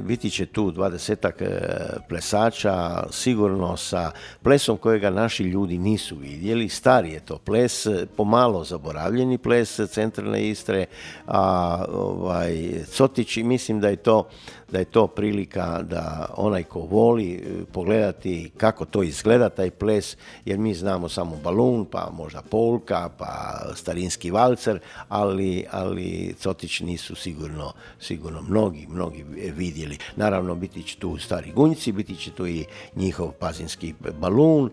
biti će tu 20-ak plesača, sigurno sa plesom kojega naši ljudi nisu vidjeli. Stari je to ples, pomalo zaboravljeni ples centralne Istre, a Cotić, mislim da je to prilika da onaj ko voli pogledati kako to izgleda taj ples, jer mi znamo samo balun, pa možda polka, pa starinski valcer, ali Cotić nisu sigurno mnogi vidjeli. Naravno, biti će tu stari Gunjci, biti će tu i njihov pazinski balun,